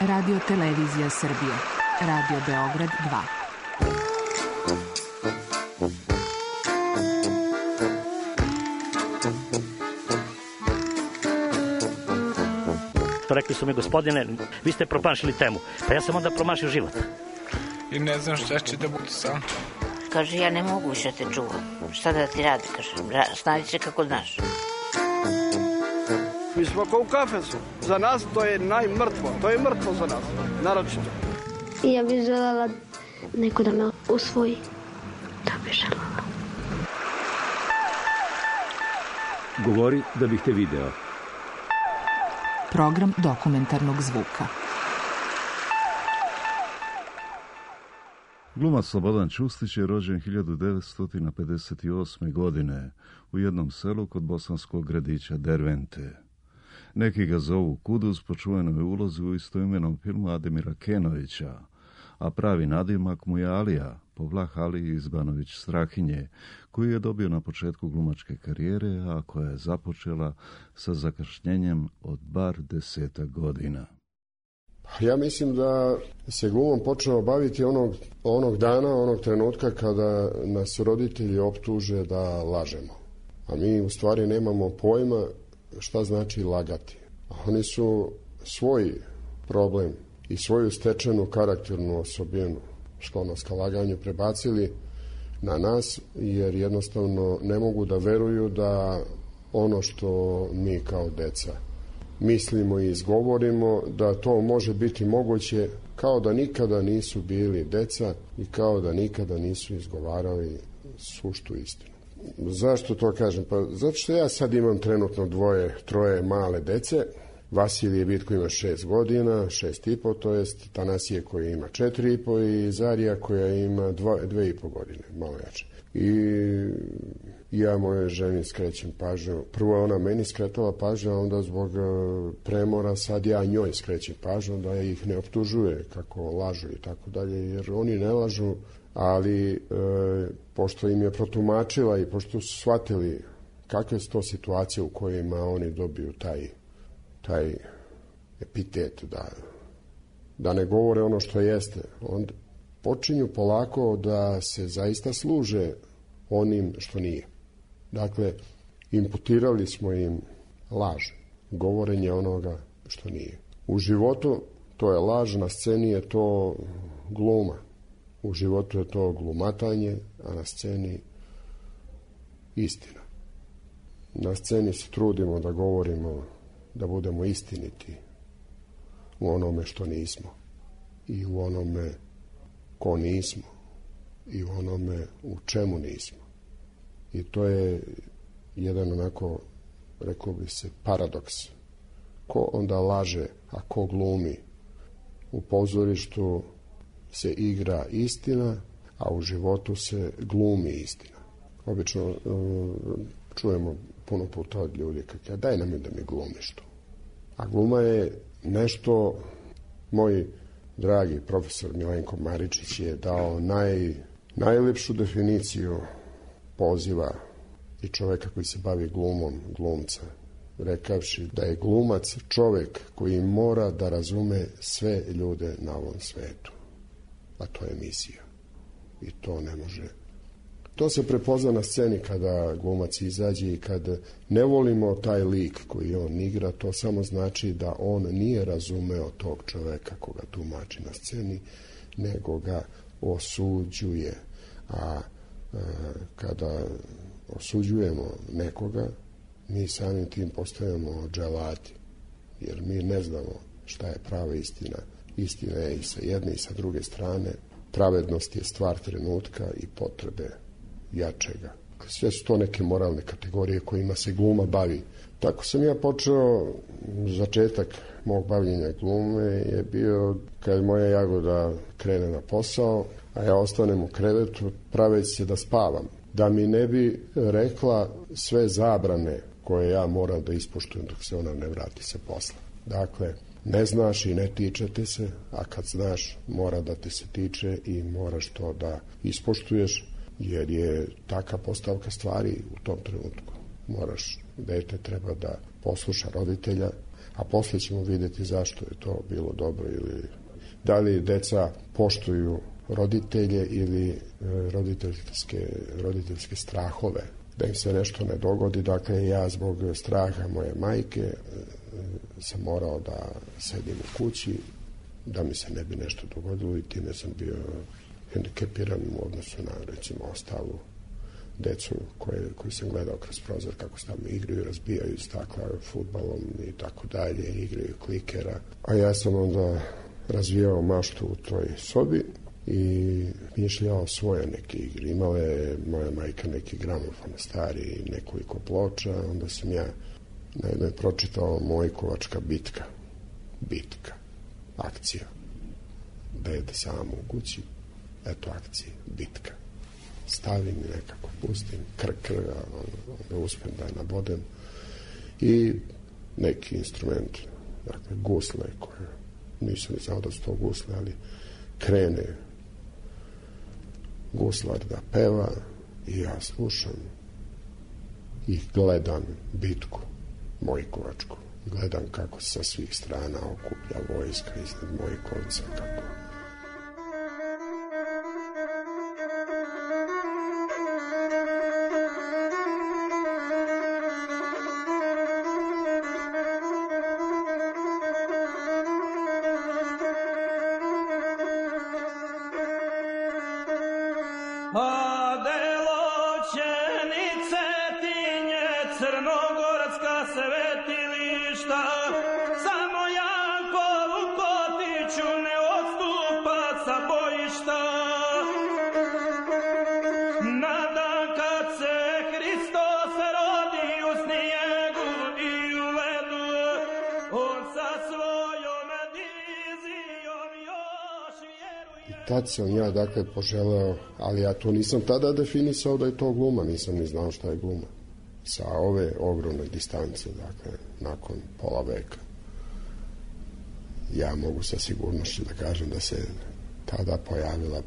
Radio Televizija Srbije. Radio Beograd 2. Rekli su mi, gospodine, vi ste promašili temu. Pa ja sam onda promašio život. I ne znam šta će da bude sam. Kaže, ja ne mogu više te čuvam. Šta da ti radi, kaže, snađi se kako znaš. Mi smo kao u kafesu. Za nas to je najmrtvo. To je mrtvo za nas, naročito. I ja bih željela neko da me usvoji. Da bih željela. Govori da bih te video. Program dokumentarnog zvuka. Glumac Slobodan Čustić je rođen 1958. godine u jednom selu kod bosanskog gradića Dervente. Neki ga zovu Kuduz po čuvenoj ulozi u istoimenom filmu Ademira Kenovića, a pravi nadimak mu je Alija, po Vlah Aliji Izbanović Strahinje, koji je dobio na početku glumačke karijere, a koja je započela sa zakašnjenjem od bar 10 godina. Ja mislim da se glumom počeo baviti onog dana, onog trenutka kada nas roditelji optuže da lažemo. A mi u stvari nemamo pojma šta znači lagati. A oni su svoj problem i svoju stečenu karakternu osobinu, sklonost ka laganju, prebacili na nas, jer jednostavno ne mogu da veruju da ono što mi kao deca mislimo i izgovorimo, da to može biti moguće, kao da nikada nisu bili deca i kao da nikada nisu izgovarali suštu istinu. Zašto to kažem? Pa zato što ja sad imam trenutno 2-3 male dece. Vasilije Vitko ima 6 godina, 6,5, to jest Tanasije koji ima 4,5 i Zarija koja ima 2,5 godine, malo jače. I ja moje ženi skrećem pažnju. Prvo je ona meni skretala pažnju, a onda zbog premora sad ja njoj skrećem pažnju da ih ne optužuje kako lažu i tako dalje, jer oni ne lažu, ali pošto im je protumačila i pošto su shvatili kakve su to situacije u kojima oni dobiju taj epitet da ne govore ono što jeste, onda počinju polako da se zaista služe onim što nije. Dakle, imputirali smo im laž, govorenje onoga što nije. U životu to je laž, na sceni je to gluma. U životu je to glumatanje, a na sceni istina. Na sceni se trudimo da govorimo, da budemo istiniti u onome što nismo i u onome ko nismo i u onome u čemu nismo. I to je jedan onako, rekao bi se, paradoks. Ko onda laže, a ko glumi? U pozorištu se igra istina, a u životu se glumi istina. Obično čujemo puno puta od ljudi kako daj nam da mi glumiš to. A gluma je nešto, moj dragi profesor Milenko Maričić je dao najlepšu definiciju poziva i čoveka koji se bavi glumom, glumca, rekavši da je glumac čovek koji mora da razume sve ljude na ovom svetu. A to je misija. I to ne može. To se prepozna na sceni kada glumac izađe i kad ne volimo taj lik koji on igra, to samo znači da on nije razumeo tog čoveka koga tumači na sceni, nego ga osuđuje. A kada osuđujemo nekoga, mi samim tim postajemo dželati, jer mi ne znamo šta je prava istina. Istina je i sa jedne i sa druge strane. Pravednost je stvar trenutka i potrebe jačega. Sve su to neke moralne kategorije kojima se gluma bavi. Tako sam ja počeo, začetak mog bavljenja glume je bio kad moja Jagoda krene na posao, a ja ostanem u krevetu praveći se da spavam. Da mi ne bi rekla sve zabrane koje ja moram da ispoštujem dok se ona ne vrati sa posla. Dakle, ne znaš i ne tiče te se, a kad znaš mora da te se tiče i moraš to da ispoštuješ, jer je taka postavka stvari u tom trenutku. Moraš dete treba da posluša roditelja, a posle ćemo vidjeti zašto je to bilo dobro ili da li deca poštuju roditelje ili roditeljske strahove, da im se nešto ne dogodi. Dakle, ja zbog straha moje majke sam morao da sedim u kući, da mi se ne bi nešto dogodilo i time sam bio hendikepiran u odnosu na, recimo, ostalu decu koju sam gledao kroz prozor kako se tamo igraju, razbijaju stakla fudbalom i tako dalje, igraju klikera. A ja sam onda razvijao maštu u toj sobi i mišljao svoje neke igre. Imala je moja majka neki gramofon stari, nekoliko ploča, onda sam ja na jednoj pročitao Mojkovačka bitka, akcija. Dete samo u kući, eto akcije, bitka. Stavim i nekako pustim, onda uspem da je nabodem i neki instrument, dakle gusle koje nisam znao da su to gusle, ali krene guslar da peva i ja slušam i gledam bitku Mojkovačku. Gledam kako se sa svih strana okuplja vojska iznad Mojkovca, kako tad sam ja, dakle, poželeo, ali ja to nisam tada definisao da je to gluma, nisam ni znao šta je gluma. Sa ove ogromne distance, dakle, nakon pola veka, ja mogu sa sigurnošću da kažem da se tada pojavila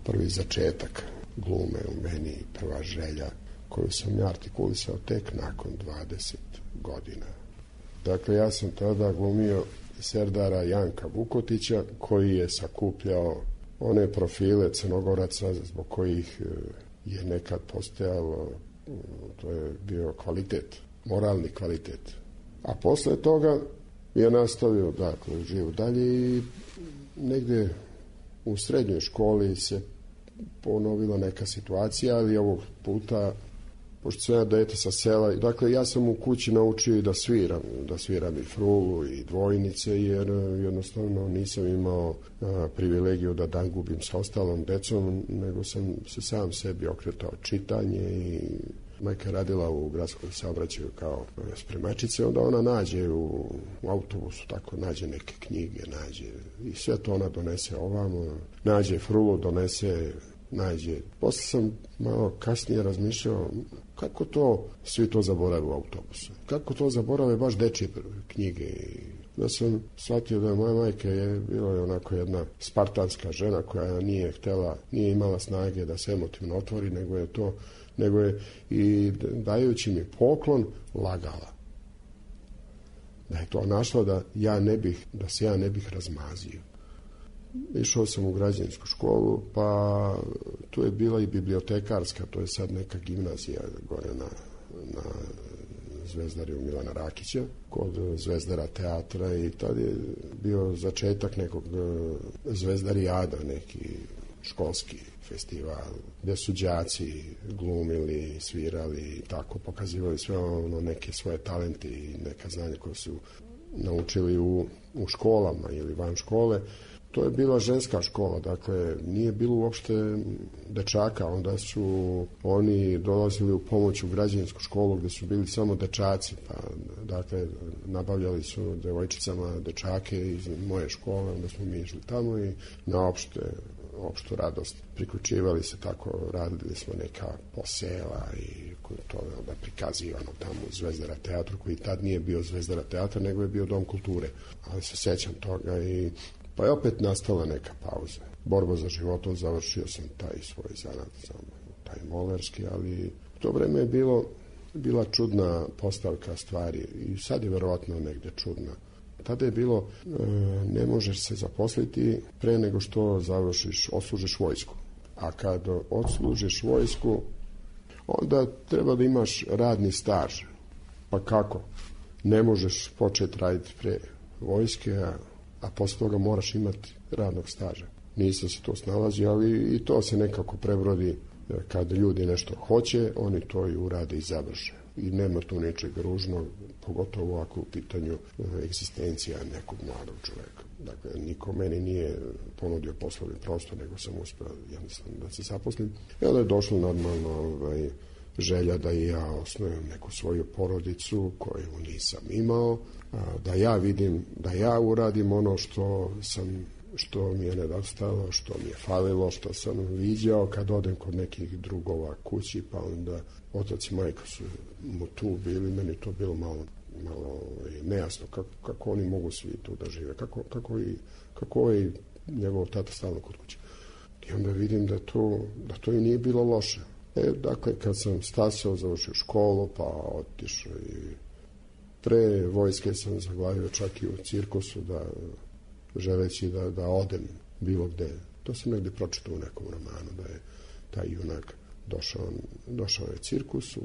prvi začetak glume u meni, prva želja koju sam ja artikulisao tek nakon 20 godina. Dakle, ja sam tada glumio Serdara Janka Vukotića, koji je sakupljao one profile Crnogoraca zbog kojih je nekad postojalo, to je bio kvalitet, moralni kvalitet. A posle toga je nastavio, dakle, živo dalje i negde u srednjoj školi se ponovila neka situacija, ali ovog puta, pošto sam ja dete sa sela, dakle, ja sam u kući naučio i da sviram i frulu i dvojnice, jer jednostavno nisam imao privilegiju da dan gubim sa ostalom decom, nego sam se sam sebi okretao čitanje i majka radila u gradskom saobraćaju kao spremačice, onda ona nađe u autobusu, tako nađe neke knjige, nađe i sve to ona donese ovamo, nađe frulu, nađe. Posle sam malo kasnije razmišljao kako to svi to zaborave u autobusu. Kako to zaborave baš dečje knjige. Da sam shvatio da moja majka je bila onako jedna spartanska žena koja nije imala snage da se emotivno otvori, nego je i dajući mi poklon lagala. Da je to našla da se ja ne bih razmazio. Išao sam u građansku školu, pa tu je bila i bibliotekarska, to je sad neka gimnazija gore na Zvezdariju Milana Rakića, kod Zvezdara teatra, i tad je bio začetak nekog Zvezdarijada, neki školski festival, gdje su đaci glumili, svirali i tako, pokazivali sve neke svoje talente i neka znanja koje su naučili u školama ili van škole. To je bila ženska škola, dakle, nije bilo uopšte dečaka, onda su oni dolazili u pomoć u građansku školu gdje su bili samo dečaci, pa, dakle, nabavljali su devojčicama dečake iz moje škole, onda smo mi išli tamo i na opštu radost priključivali se, tako radili smo neka posela i to je onda prikazivano tamo u Zvezdara teatru, koji tad nije bio Zvezdara teatra, nego je bio Dom kulture, ali se sećam toga i pa je opet nastala neka pauza. Borba za životom, završio sam taj svoj zanat, taj molerski, ali u to vreme je bilo bila čudna postavka stvari i sad je verovatno negde čudna. Tada je bilo, ne možeš se zaposliti pre nego što odslužiš vojsku. A kad odslužiš vojsku, onda treba da imaš radni staž. Pa kako? Ne možeš početi raditi pre vojske, a posle toga moraš imati radnog staža. Nisam se to snalazio, ali i to se nekako prebrodi. Kad ljudi nešto hoće, oni to i urade i završe. I nema tu ničeg ružnog, pogotovo ako u pitanju egzistencija nekog mladog čoveka. Dakle, niko meni nije ponudio poslovni prostor, nego sam uspeo jednostavno da se zaposlim. I onda je došlo normalno želja da i ja osnujem neku svoju porodicu koju nisam imao, da ja vidim, da ja uradim ono što mi je nedostajalo, što mi je falilo, što sam viđao kad odem kod nekih drugova kući, pa onda otac i majka su mu tu bili, meni to bilo malo nejasno kako oni mogu svi tu da žive, kako je njegov tata stalno kod kuće. I onda vidim da to i nije bilo loše. Dakle, kad sam stasao, završio školu, pa otišao i pre vojske sam zaglavio čak i u cirkusu, želeći da odem bilo gde. To sam negdje pročitao u nekom romanu, da je taj junak došao je cirkus u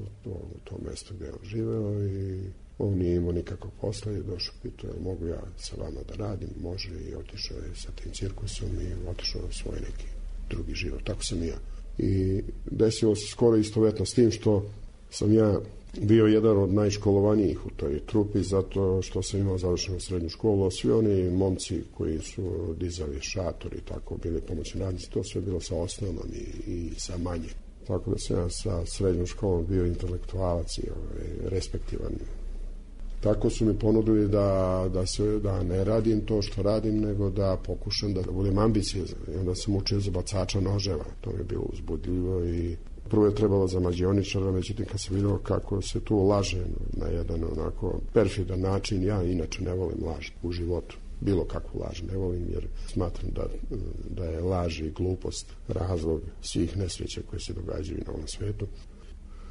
to mesto gde je on živeo i on nije imao nikakvog posla i došao, pitao je mogu ja sa vama da radim, može, i otišao je sa tim cirkusom i otišao u svoj neki drugi život. Tako sam i ja. I desilo se skoro istovetno s tim što sam ja bio jedan od najškolovanijih u toj trupi zato što sam imao završenu srednju školu, a svi oni momci koji su dizali šator i tako bili pomoćni radnici, to sve bilo sa osnovnom i sa manje. Tako da sam ja sa srednjom školom bio intelektualac i respektivan. Tako su mi ponudili da ne radim to što radim, nego da pokušam da budem ambiciozan. I onda sam učio za bacača noževa. To mi je bilo uzbudljivo i prvo je trebalo za mađioničara, međutim kad sam vidio kako se tu laže na jedan onako perfidan način, ja inače ne volim laž u životu. Bilo kakvu laž ne volim, jer smatram da je laž i glupost razlog svih nesreća koje se događaju na ovom svetu.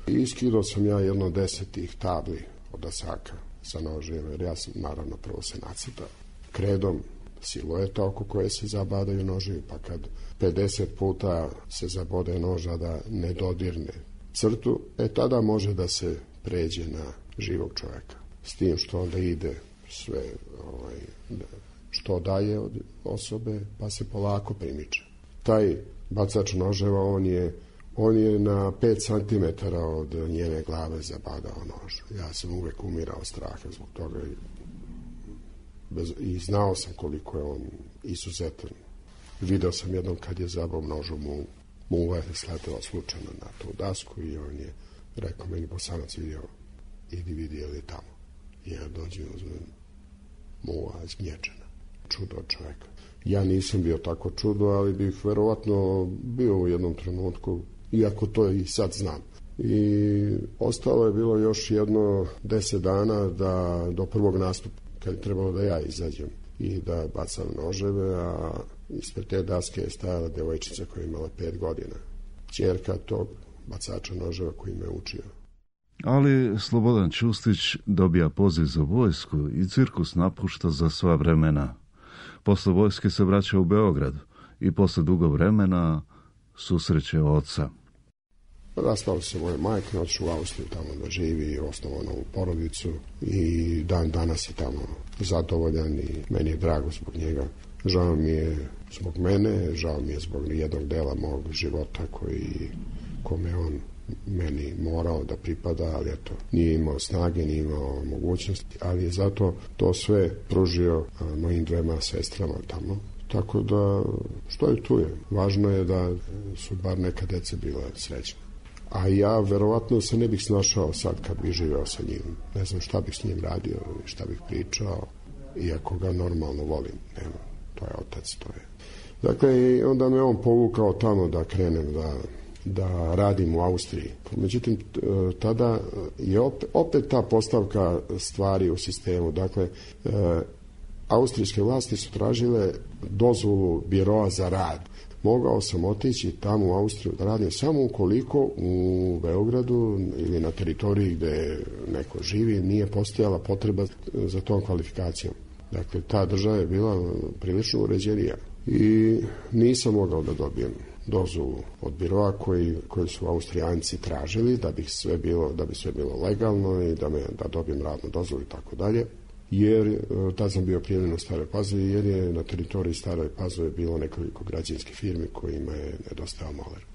I iskidao sam ja jedno 10 tih tabli od asaka sa nožem, jer ja sam naravno prvo se nacrtao kredom silueta oko koje se zabadaju noževi, pa kad 50 puta se zabode noža da ne dodirne crtu, tada može da se pređe na živog čoveka. S tim što onda ide sve što daje od osobe, pa se polako primiče. Taj bacač noževa, on je na 5 cm od njene glave zabadao nož. Ja sam uvek umirao straha zbog toga i znao sam koliko je on izuzetan. Video sam jednom kad je zabao nožu muva je sletela slučajno na tu dasku i on je rekao meni, Bosanac, vidio, idi vidi je li tamo. I ja dođem i uzmem muva zgnječena. Čudo od čoveka. Ja nisam bio tako čudo, ali bih verovatno bio u jednom trenutku, iako to i sad znam. I ostalo je bilo još jedno 10 dana do prvog nastupa, kad je trebalo da ja izađem i da bacam noževe, a ispred te daske je stajala devojčica koja je imala 5 godina. Ćerka tog bacača noževa koji me učio. Ali Slobodan Ćustić dobija poziv za vojsku i cirkus napušta za sva vremena. Posle vojske se vraća u Beograd i posle dugo vremena susreće oca. Raspala se moja majka, otišao u Austriju tamo da živi i osnovao novu porodicu i dan danas je tamo zadovoljan i meni je drago zbog njega. Žao mi je zbog mene, žao mi je zbog jednog dela mog života kome on meni morao da pripada, ali eto, nije imao snage, nije imao mogućnosti, ali je zato to sve pružio mojim 2 sestrama tamo. Tako da, što je tu je. Važno je da su bar neka deca bila srećna. A ja verovatno se ne bih snašao sad kad bih živeo sa njim. Ne znam šta bih s njim radio, šta bih pričao, iako ga normalno volim. Nema, to je otac, to je. Dakle, onda me on povukao tamo da krenem da radim u Austriji. Međutim, tada je opet ta postavka stvari u sistemu. Dakle, austrijske vlasti su tražile dozvolu biroa za rad. mogao sam otići tamo u Austriju da radim samo ukoliko u Beogradu ili na teritoriji gde neko živi nije postojala potreba za tom kvalifikacijom. Dakle, ta država je bila prilično uređenija i nisam mogao da dobijem dozvolu od biroa koji su Austrijanci tražili da bi sve bilo legalno i da dobijem radnu dozvolu i tako dalje. Jer tad sam bio prijavljen u Staroj Pazovi, jer je na teritoriji Staroj Pazove bilo nekoliko građevinskih firmi kojima je nedostajao moler.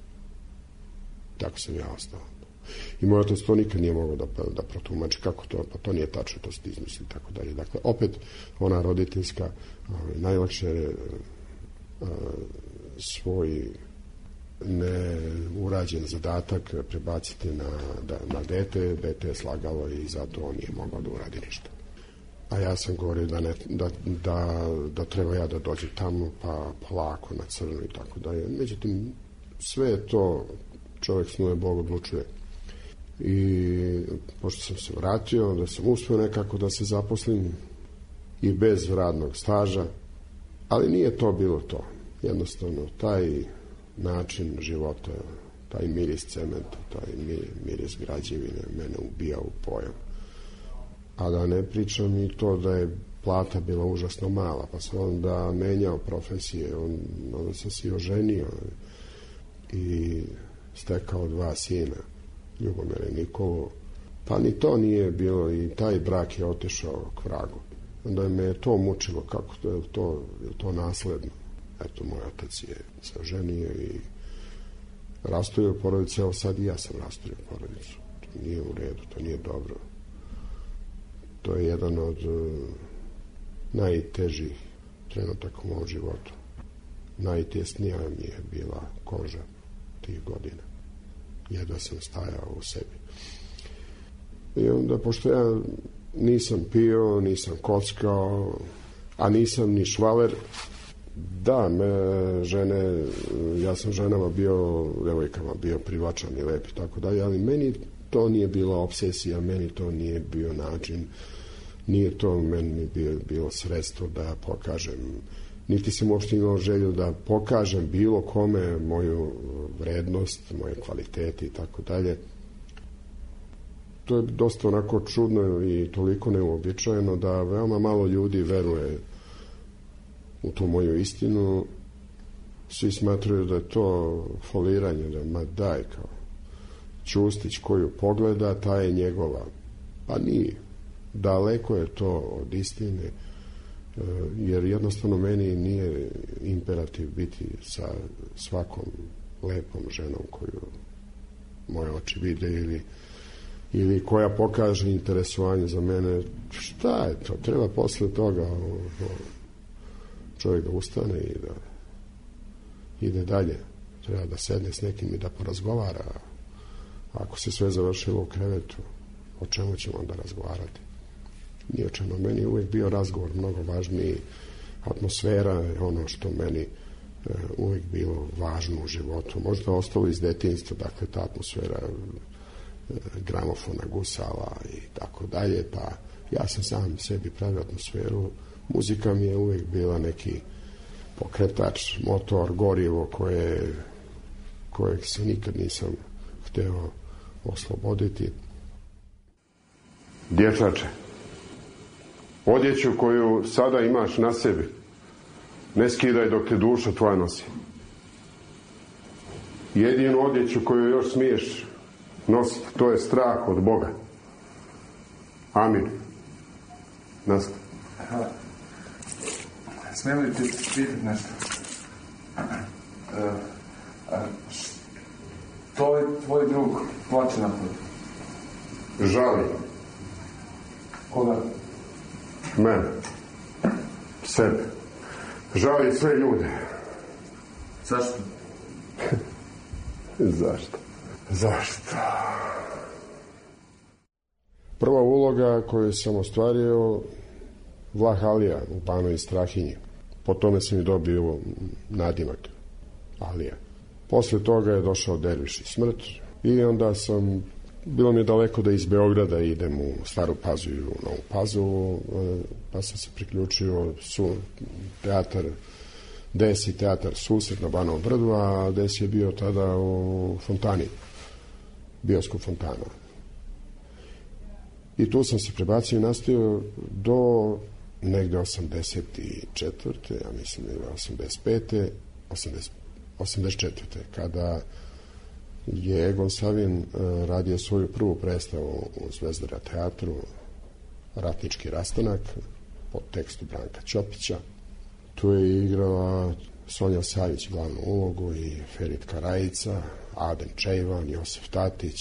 Tako sam ja ostao. I moj otac to nikad nije mogao da protumači kako to, pa to nije tačno, to ste izmislili i tako dalje. Dakle, opet ona roditeljska, najlakše svoj neurađen zadatak prebaciti na dete je slagalo i zato on nije mogao da uradi ništa. A ja sam govorio da treba ja da dođem tamo, pa polako na crno i tako dalje. Međutim, sve je to, čovjek snuje, Bog odlučuje. I pošto sam se vratio, da sam uspio nekako da se zaposlim i bez radnog staža, ali nije to bilo to. Jednostavno, taj način života, taj miris cementa, taj miris građevine mene ubija u pojam. A da ne pričam i to da je plata bila užasno mala, pa sam onda menjao profesije, onda sam se oženio i stekao 2 sina, Ljubomira i Nikolu. Pa ni to nije bilo i taj brak je otišao k vragu. Onda me je to mučilo, kako je to nasledno. Eto, moj otac je se oženio i rastojio porodicu, evo sad i ja sam rastojio porodicu. To nije u redu, to nije dobro. To je jedan od najtežih trenutaka u mom životu. Najtjesnija mi je bila koža tih godina. Jedva sam stajao u sebi. I onda, pošto ja nisam pio, nisam kockao, a nisam ni švaler, da, žene, ja sam ženama bio, devojkama bio privlačan i lep i tako dalje, ali meni to nije bila obsesija, meni to nije bio način, nije to meni bilo sredstvo da pokažem, niti sam uopšte imao želju da pokažem bilo kome moju vrednost, moje kvalitete i tako dalje. To je dosta onako čudno i toliko neuobičajeno da veoma malo ljudi veruje u tu moju istinu. Svi smatraju da je to foliranje, da ma daj, kao Ćustić koju pogleda, ta je njegova. Pa nije. Daleko je to od istine, jer jednostavno meni nije imperativ biti sa svakom lepom ženom koju moje oči vide ili koja pokaže interesovanje za mene. Šta je to? Treba posle toga čovjek da ustane i da ide dalje. Treba da sedne s nekim i da porazgovara. Ako se sve završilo u krevetu, o čemu ćemo onda razgovarati? Nije o čemu. Meni je uvijek bio razgovor mnogo važniji. Atmosfera je ono što meni uvijek bilo važno u životu. Možda ostalo iz detinjstva, dakle ta atmosfera gramofona, gusala i tako dalje, pa ja sam sam sebi pravio atmosferu. Muzika mi je uvijek bila neki pokretač, motor, gorivo kojeg se nikad nisam hteo osloboditi. Dječače, odjeću koju sada imaš na sebi ne skidaj dok te duša tvoja nosi. Jedinu odjeću koju još smiješ nositi, to je strah od Boga. Amin. Nastav. Smijem li ti pitati nešto? To je tvoj drug plače napad. Žali. Koga? Mene. Sebe. Žali sve ljude. Zašto? Zašto? Prva uloga koju sam ostvario, Vlah Alija u Banovi Strahinji. Po tome sam i dobio nadimak Alija. Posle toga je došao Derviš i smrt i onda bilo mi je daleko da iz Beograda idem u Staru Pazovu i u Novu Pazovu, pa sam se priključio teatar Des i teatar Susret na Banovom brdu, a Des je bio tada u Fontani, bioskop Fontana. I tu sam se prebacio i nastavio do negde 84. ja mislim da je 84. kada je Egon Savin radio svoju prvu predstavu u Zvezdara teatru, Ratnički rastanak, pod tekstu Branka Ćopića. Tu je igrala Sonja Savić glavnu ulogu i Ferit Karajica, Adem Čejvan, Josif Tatić,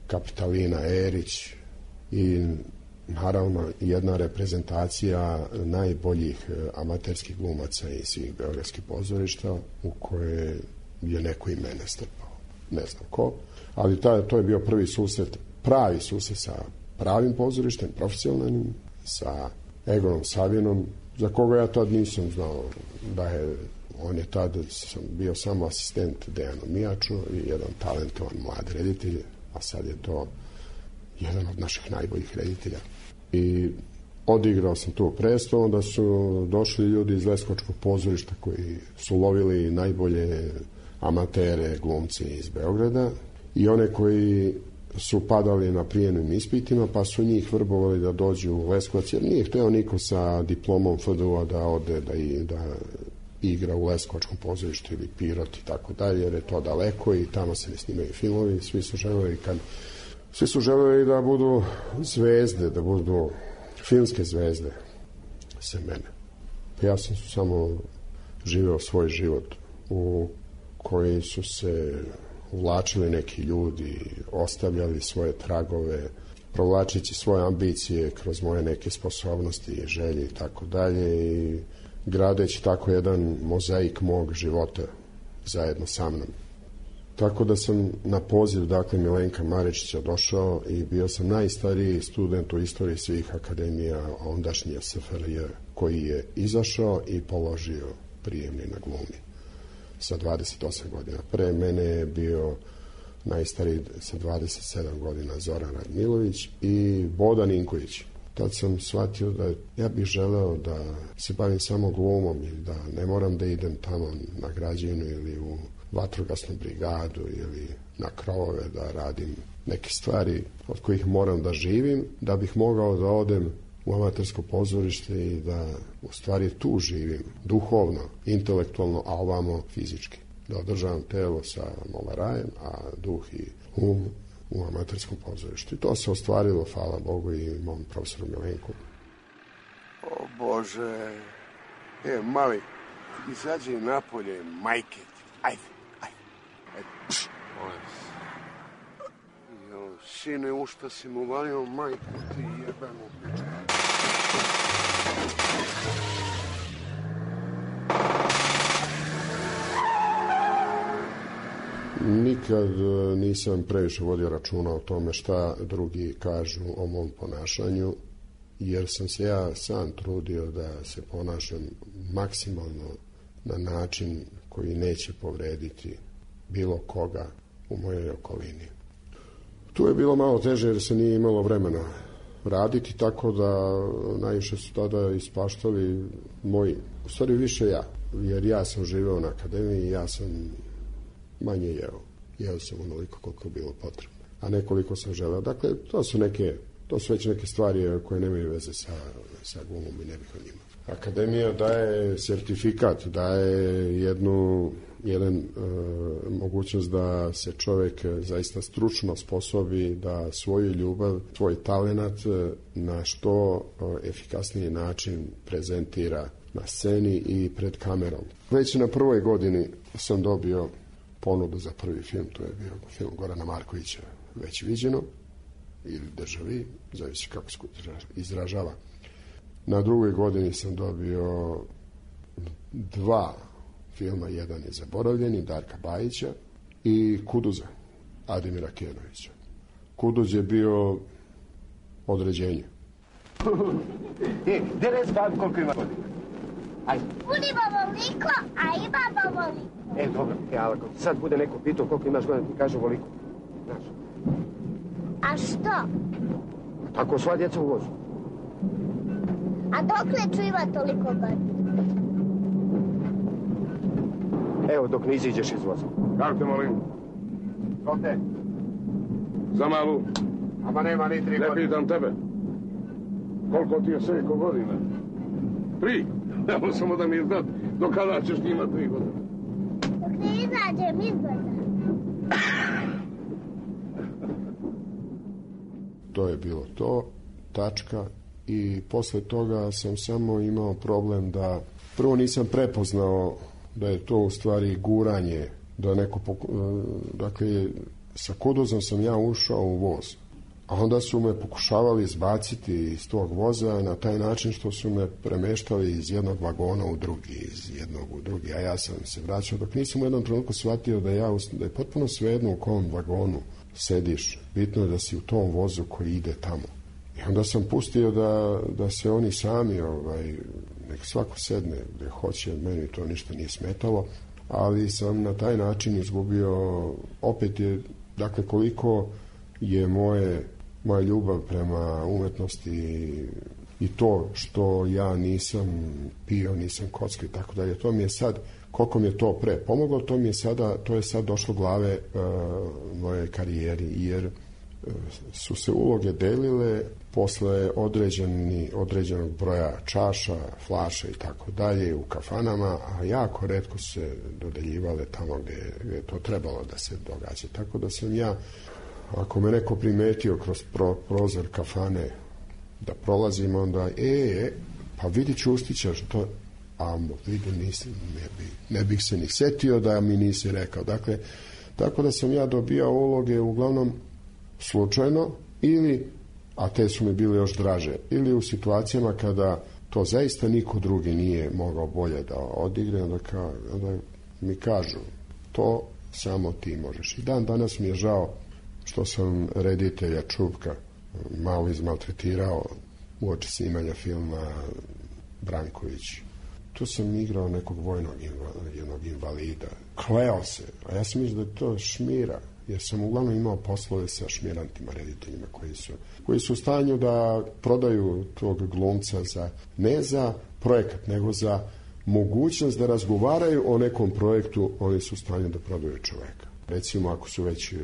Kapitalina Erić i naravno jedna reprezentacija najboljih amaterskih glumaca iz svih beogradskih pozorišta u koje je neko i mene strpao. Ne znam ko, ali to je bio prvi susret, pravi susret sa pravim pozorištem, profesionalnim, sa Egonom Savinom, za koga ja tad nisam znao da je, on je tad bio samo asistent Dejanu Mijaču i jedan talentovan mlad reditelj, a sad je to jedan od naših najboljih reditelja. I odigrao sam tu predstavu, onda su došli ljudi iz Leskovačkog pozorišta koji su lovili najbolje amatere, glumci iz Beograda i one koji su padali na prijemnim ispitima, pa su njih vrbovali da dođu u Leskovac, jer nije hteo niko sa diplomom FDU-a da ode da igra u Leskovačkom pozorištu ili Pirot i tako dalje, jer je to daleko i tamo se ne snimaju filmovi. Svi su želeli da budu zvezde, da budu filmske zvezde, sem mene. Ja sam samo živeo svoj život u koji su se uvlačili neki ljudi, ostavljali svoje tragove, provlačići svoje ambicije kroz moje neke sposobnosti i želje i tako dalje i gradeći tako jedan mozaik mog života zajedno sa mnom. Tako da sam na poziv, dakle, Milenka Maričića došao i bio sam najstariji student u istoriji svih akademija ondašnje SFRJ koji je izašao i položio prijemni na glumi sa 28 godina. Pre mene je bio najstariji sa 27 godina Zoran Radmilović i Bodan Inković. Tad sam shvatio da ja bih želeo da se bavim samo glumom ili da ne moram da idem tamo na građevinu ili u vatrogasnu brigadu ili na krovove da radim neke stvari od kojih moram da živim, da bih mogao da odem u amatersko pozorište i da u stvari tu živim, duhovno, intelektualno, a ovamo fizički. Da održavam telo sa molarajem, a duh i um u amaterskom pozorištu. I to se ostvarilo, hvala Bogu i mom profesoru Milenku. O Bože, mali, izađi napolje, majke, ajde. Pš, sine, u šta si mu valio, majku ti jebanu pičku. Nikad nisam previše vodio računa o tome šta drugi kažu o mom ponašanju, jer sam se ja sam trudio da se ponašam maksimalno na način koji neće povrediti bilo koga u mojoj okolini. Tu je bilo malo teže jer se nije imalo vremena raditi, tako da najviše su tada ispaštali moji, u stvari više ja, jer ja sam živeo na akademiji i ja sam manje jeo. Jeo sam onoliko koliko je bilo potrebno, a nekoliko sam želeo. Dakle, to su već neke stvari koje nemaju veze sa glumom i ne bih o njima. Akademija daje sertifikat, daje jedan mogućnost da se čovjek zaista stručno sposobi da svoju ljubav, svoj talenat na što efikasniji način prezentira na sceni i pred kamerom. Već na prvoj godini sam dobio ponudu za prvi film, to je bio film Gorana Markovića, Već viđeno, ili Državi, zavisi kako se izražava. Na drugoj godini sam dobio 2 filma, jedan je Zaboravljeni, Darka Bajića, i Kuduza, Ademira Kenovića. Kuduz je bio određenje. Gde reci babi koliko ima godina? Ajde. Budimo voliko, a imamo voliko. Dobro, ako sad bude neko pitao koliko imaš godina, ti kažu voliko. Znaš. A što? Tako sva djeca u vozu. A dokle ću ima toliko godina? Evo, dok ne iziđeš iz voza. Kako te molim? Ko te? Za malu. Ama nema ni 3 godine. Ne pitam tebe. Koliko ti je Sejko godina? 3? Evo samo da mi je znat do kada ćeš ti imati 3 godine. Dok ne izađem izgleda. To je bilo to, tačka. I posle toga sam samo imao problem da prvo nisam prepoznao da je to u stvari guranje, da neko dakle sa Kuduzom sam ja ušao u voz, a onda su me pokušavali izbaciti iz tog voza na taj način što su me premeštali iz jednog vagona u drugi, iz jednog u drugi, a ja sam se vraćao dok nisam u jednom trenutku shvatio da je potpuno svejedno u kom vagonu sediš, bitno je da si u tom vozu koji ide tamo. I onda sam pustio da se oni sami, nek svako sedne gde hoće, meni to ništa nije smetalo, ali sam na taj način izgubio, opet je, dakle, koliko je moja ljubav prema umetnosti i to što ja nisam pio, nisam kockao i tako dalje, to mi je sad, koliko mi je to pre pomoglo, to je sad došlo glave moje karijeri, jer su se uloge delile posle određenog broja čaša, flaša i tako dalje u kafanama, a jako retko se dodeljivale tamo gde je to trebalo da se događa. Tako da sam ja, ako me neko primetio kroz prozor kafane da prolazim, onda pa vidi Čustića, što vidi, ne bih se ni setio da mi nisi rekao. Dakle, tako da sam ja dobijao uloge uglavnom slučajno ili, a te su mi bile još draže, ili u situacijama kada to zaista niko drugi nije mogao bolje da odigre, onda mi kažu to samo ti možeš. I dan danas mi je žao što sam reditelja Čupka malo izmaltretirao uoči snimanja filma Branković. Tu sam igrao nekog vojnog invalida. Kleo se, a ja sam mislio da je to šmira, jer sam uglavnom imao poslove sa šmirantima, rediteljima koji su u stanju da prodaju tog glumca ne za projekat, nego za mogućnost da razgovaraju o nekom projektu, oni su u stanju da prodaju čoveka. Recimo, ako su već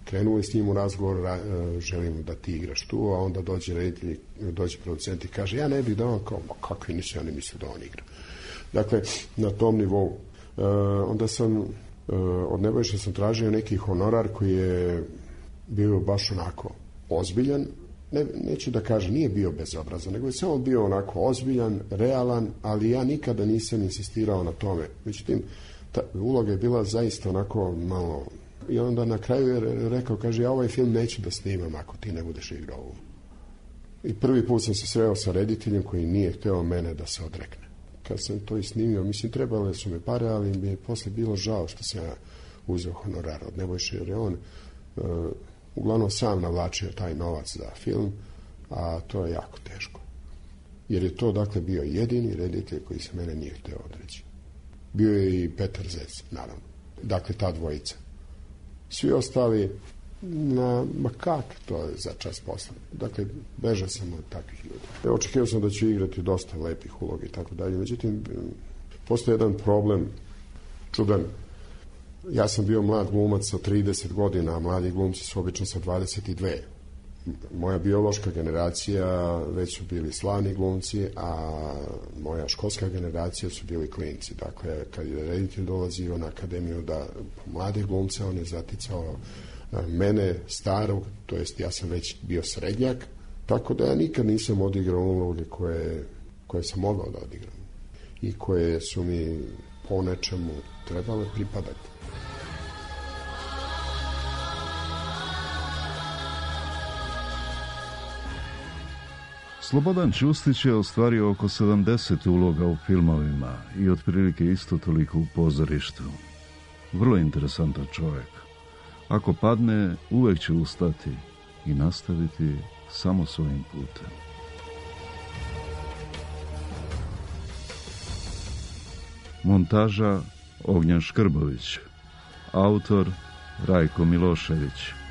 krenuli s njim u razgovor, želim da ti igraš tu, a onda dođe reditelj, dođe producent i kaže, ja ne bih da on kao, kakvi nisu, ja ne mislim da on igra. Dakle, na tom nivou. Onda sam od Nebojše sam tražio neki honorar koji je bio baš onako ozbiljan, neću da kažem, nije bio bezobrazan, nego je samo bio onako ozbiljan, realan, ali ja nikada nisam insistirao na tome. Međutim, ta uloga je bila zaista onako malo, i onda na kraju je rekao, kaže, ja ovaj film neću da snimam ako ti ne budeš igrao ovo. I prvi put sam se sreo sa rediteljem koji nije hteo mene da se odrekne. Kad sam to i snimio, mislim, trebale su me pare, ali mi je posle bilo žao što sam ja uzeo honorar od Nebojše, jer je on uglavnom sam navlačio taj novac za film, a to je jako teško. Jer je to, dakle, bio jedini reditelj koji se mene nije hteo odreći. Bio je i Petar Zec, naravno. Dakle, ta dvojica. Svi ostali, ma kak to je za čas posla. Dakle, bežao sam od takvih ljudi. Očekivao sam da ću igrati dosta lepih uloga i tako dalje. Međutim, postoji jedan problem čudan. Ja sam bio mlad glumac sa 30 godina, a mladi glumci su obično sa 22. Moja biološka generacija već su bili slavni glumci, a moja školska generacija su bili klinci. Dakle, kad je reditelj dolazio na akademiju da mlade glumce, on je zaticao mene starog, to jest ja sam već bio srednjak, tako da ja nikad nisam odigrao uloge koje sam mogao da odigram i koje su mi po nečemu trebale pripadati. Slobodan Čustić je ostvario oko 70 uloga u filmovima i otprilike isto toliko u pozorištu. Vrlo interesantan čovjek. Ako padne, uvek će ustati i nastaviti samo svojim putem. Montaža Ognjan Škrbović. Autor Rajko Milošević.